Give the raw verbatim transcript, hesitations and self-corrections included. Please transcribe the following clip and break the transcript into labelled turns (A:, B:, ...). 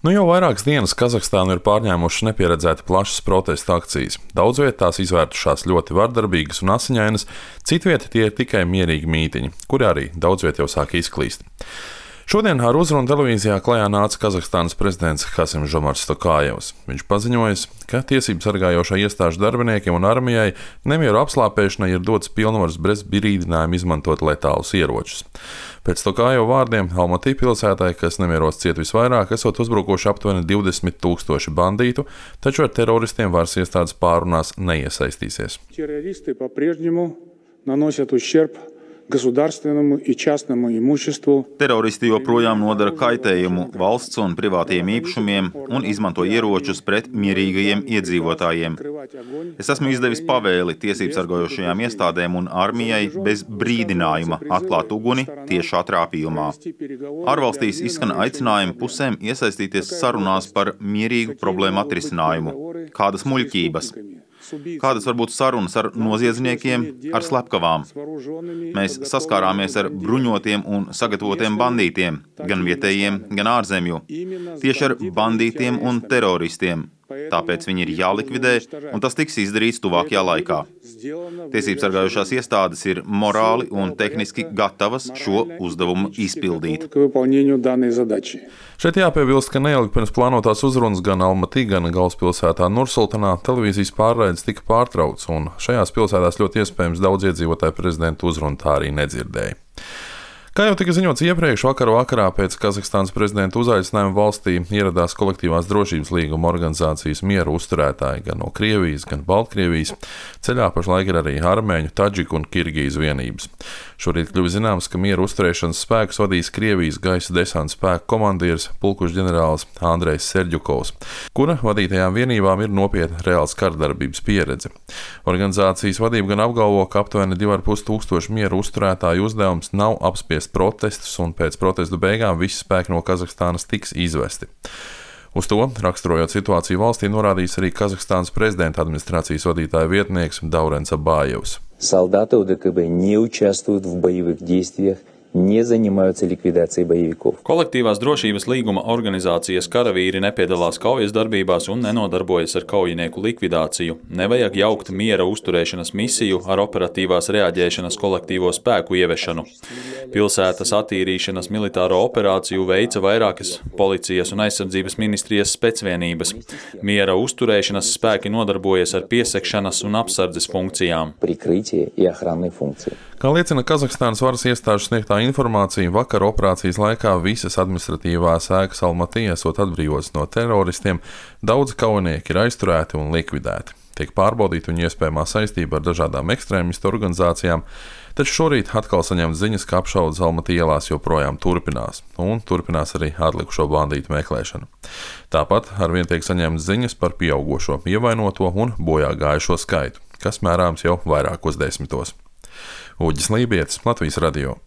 A: Nu jau vairākas dienas Kazahstānu ir pārņēmušas nepieredzēti plašas protesta akcijas. Daudz viet tās izvērtušās ļoti vardarbīgas un asiņainas, citviet tie ir tikai mierīgi mītiņi, kuri arī daudz viet jau sāk izklīst. Šodien ar uzrunu televīzijā klajā nāca Kazahstānas prezidents Kasim-Žomars Tokājevs. Viņš paziņoja, ka tiesību sargājošā iestāžu darbiniekiem un armijai nemieru apslāpēšanai ir dots pilnvaras bez brīdinājuma izmantot letālus ieročus. Pēc Tokājeva vārdiem Almatī pilsētai, kas nemieros ciet visvairāk, esot uzbrukoši aptuveni divdesmit tūkstoši bandītu, taču ar teroristiem varas iestādes pārunās neiesaistīsies.
B: Террористы по-прежнему наносят ущерб государственному и частному имуществу.
C: Teroristi joprojām nodara kaitējumu valsts un privātiem īpašumiem un izmanto ieročus pret mierīgajiem iedzīvotājiem. Es esmu izdevis pavēli tiesību sargājošajām iestādēm un armijai bez brīdinājuma atklāt uguni tiešā trāpījumā. Ārvalstīs izskan aicinājumi pusēm iesaistīties sarunās par mierīgu problēmu atrisinājumu. Kādas muļķības? Kādas var būt sarunas ar noziedzniekiem, ar slepkavām? Mēs saskārāmies ar bruņotiem un sagatavotiem bandītiem, gan vietējiem, gan ārzemju. Tieši ar bandītiem un teroristiem. Tāpēc viņi ir jālikvidē, un tas tiks izdarīts tuvākajā laikā. Tiesību sargājošās iestādes ir morāli un tehniski gatavas šo uzdevumu izpildīt.
A: Šeit jāpiebilst, ka neilgi pirms plānotās uzrunas gan Almatī, gan galvaspilsētā Nursultanā televīzijas pārraides tika pārtraukts, un šajās pilsētās ļoti iespējams daudz iedzīvotāju prezidentu uzrunu tā arī nedzirdēja. Kā jau tika ziņots iepriekš, vakar vakarā pēc Kazahstānas prezidenta uzaicinājuma valstī ieradās kolektīvās drošības līguma organizācijas mieru uzturētāji gan no Krievijas, gan Baltkrievijas. Ceļā pašlaik ir arī armēņu, tadžiku un kirgīzu vienības. Šorīt kļuva zināms, ka mieru uzturēšanas spēkus vadīs Krievijas gaisa desanta spēku komandieris, pulkuša ģenerālis Andrejs Serģukovs, kura vadītajām vienībām ir nopietna reāls kardarbības pieredze. Organizācijas vadība gan apgalvo, ka aptuveni divi ar pus tūkstoši mieru uzturētāju uzdevums nav apspiest protestus, un pēc protestu beigām visi spēki no Kazahstānas tiks izvesti. Uz to, raksturojot situāciju valstī, norādījis arī Kazahstānas prezidenta administrācijas vadītāja vietnieks Daurens Abājevs.
D: Солдаты УДКБ не участвуют в боевых действиях, не занимаются ликвидацией боевиков.
E: Kolektīvās drošības līguma organizācijas karavīri nepiedalās kaujas darbībās un nenodarbojas ar kaujinieku likvidāciju. Nevajag jaukt miera uzturēšanas misiju ar operatīvās reaģēšanas kolektīvo spēku ieviešanu. Pilsētas attīrīšanas militāro operāciju veica vairākas policijas un aizsardzības ministrijas specvienības. Miera uzturēšanas spēki nodarbojas ar piesegšanas un apsardzes funkcijām.
A: Kā liecina Kazahstānas varas iestāžu sniegtā informācija, vakar operācijas laikā visas administratīvās ēkas Almatī esot atbrīvotas no teroristiem, daudzi kaujinieki ir aizturēti un likvidēti. Tiek pārbaudīta viņu iespējamā saistība ar dažādām ekstrēmistu organizācijām, taču šorīt atkal saņemts ziņas, ka apšaudes Almatī ielās joprojām turpinās, un turpinās arī atlikušo bandītu meklēšana. Tāpat arvien tiek saņemts ziņas par pieaugošo ievainoto un bojā gājušo skaitu, kas mērāms jau vairākos desmitos. Uģis Lībietis, Latvijas radio.